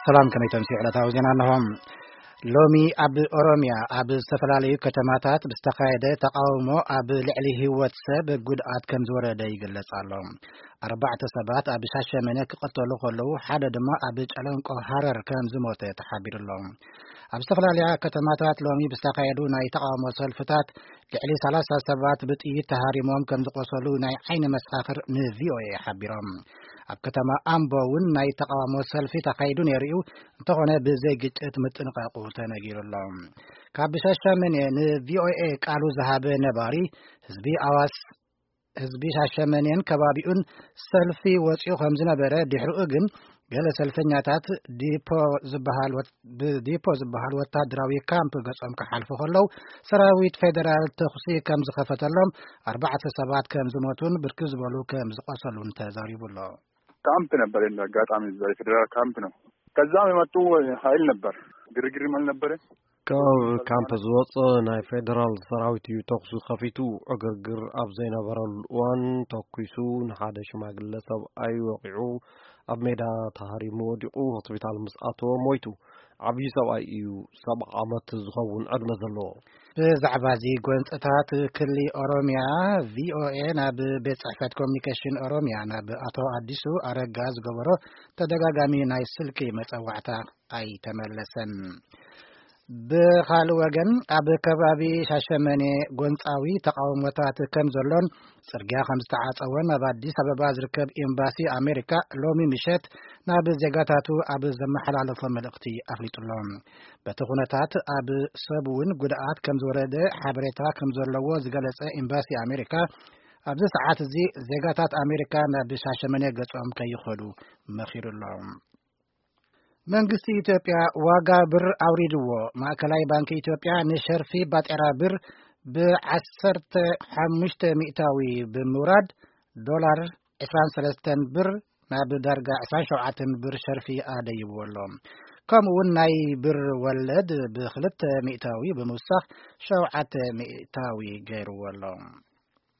ሰላም፣ ከመይ ተምስዩ ዕለታዊ ዜና ኣለኹም። ሎሚ ኣብ ኦሮምያ ኣብ ዝተፈላለዩ ከተማታት ብዝተኻየደ ተቃውሞ ኣብ ልዕሊ ህይወት ሰብ ጉድኣት ከም ዝወረደ ይግለጽ ኣሎ። ኣርባዕተ ሰባት ኣብ ሻሸመነ ክቐተሉ ከለዉ፣ ሓደ ድማ ኣብ ጨለንቆ ሃረር ከም ዝሞተ ተሓቢሩ ኣሎ። ኣብ ዝተፈላለያ ከተማታት ሎሚ ብዝተኻየዱ ናይ ተቃውሞ ሰልፍታት ልዕሊ ሰላሳ ሰባት ብጥይት ተሃሪሞም ከም ዝቆሰሉ ናይ ዓይኒ መሰኻኽር ን ቪ ኦ ኤ ሓቢሮም። ኣብ ከተማ ኣምቦ እውን ናይ ተቃውሞ ሰልፊ ተኻይዱ ነይሩ እዩ። እንተኾነ ብዘይ ግጭት ምጥንቃቁ ተነጊሩ ኣሎ። ካብ ሻሸመኔ ን ቪ ኦ ኤ ቃሉ ዝሃበ ነባሪ ህዝቢ ኣዋስ ህዝቢ ሻሸመኔን ከባቢኡን ሰልፊ ወፂኡ ከም ዝነበረ፣ ድሕሪኡ ግን ገለ ሰልፈኛታት ዲፖ ዝበሃል ወት- ብዲፖ ዝበሃል ወታደራዊ ካምፕ ገጾም ክሓልፉ ከለዉ፣ ሰራዊት ፌደራል ተኹሲ ከም ዝኸፈተሎም፣ ኣርባዕተ ሰባት ከም ዝሞቱን ብርክት ዝበሉ ከም ዝቆሰሉን ተዛሪቡ ኣሎ። ካምፕ ነበር፣ እንደ አጋጣሚ እዛ የፌዴራል ካምፕ ነው። ከዛም የመጡ ኃይል ነበር፣ ግርግርም አልነበረ። ካብ ካምፕ ዝወፀ ናይ ፌደራል ሰራዊት እዩ ተኹሲ ከፊቱ። ዕግርግር ኣብ ዘይነበረሉ እዋን ተኲሱ፣ ንሓደ ሽማግለ ሰብኣይ ወቒዑ፣ ኣብ ሜዳ ተሃሪሙ ወዲቑ፣ ሆስፒታል ምስ ኣተወ ሞይቱ። ዓብዪ ሰብኣይ እዩ፣ ሰብዓ ዓመት ዝኸውን ዕድመ ዘለዎ። ብዛዕባ እዚ ጎንፅታት ክሊ ኦሮምያ፣ ቪ ኦ ኤ ናብ ቤት ጽሕፈት ኮሚኒኬሽን ኦሮምያ፣ ናብ ኣቶ ኣዲሱ ኣረጋ ዝገበሮ ተደጋጋሚ ናይ ስልኪ መጸዋዕታ ኣይተመለሰን። ብኻልእ ወገን፣ ኣብ ከባቢ ሻሸመኔ ጎንጻዊ ተቃውሞታት ከም ዘሎን ጽርግያ ከም ዝተዓጸወን ኣብ ኣዲስ ኣበባ ዝርከብ ኤምባሲ ኣሜሪካ ሎሚ ምሸት ናብ ዜጋታቱ ኣብ ዘመሓላለፎ መልእኽቲ ኣፍሊጡ ኣሎ። በቲ ኩነታት ኣብ ሰብ እውን ጉድኣት ከም ዝወረደ ሓበሬታ ከም ዘለዎ ዝገለጸ ኤምባሲ ኣሜሪካ፣ ኣብዚ ሰዓት እዚ ዜጋታት ኣሜሪካ ናብ ሻሸመኔ ገጾም ከይኸዱ መኺሩ ኣሎ። መንግስቲ ኢትዮጵያ ዋጋ ብር ኣውሪድዎ። ማእከላይ ባንኪ ኢትዮጵያ ንሸርፊ ባጤራ ብር ብ ዓሰርተ ሓሙሽተ ሚእታዊ ብምውራድ፣ ዶላር ዕስራን ሰለስተን ብር ናብ ዳርጋ ዕስራን ሸውዓተን ብር ሸርፊ ኣደይብዎ ኣሎ። ከምኡ እውን ናይ ብር ወለድ ብክልተ ሚእታዊ ብምውሳኽ ሸውዓተ ሚእታዊ ገይርዎ ኣሎ።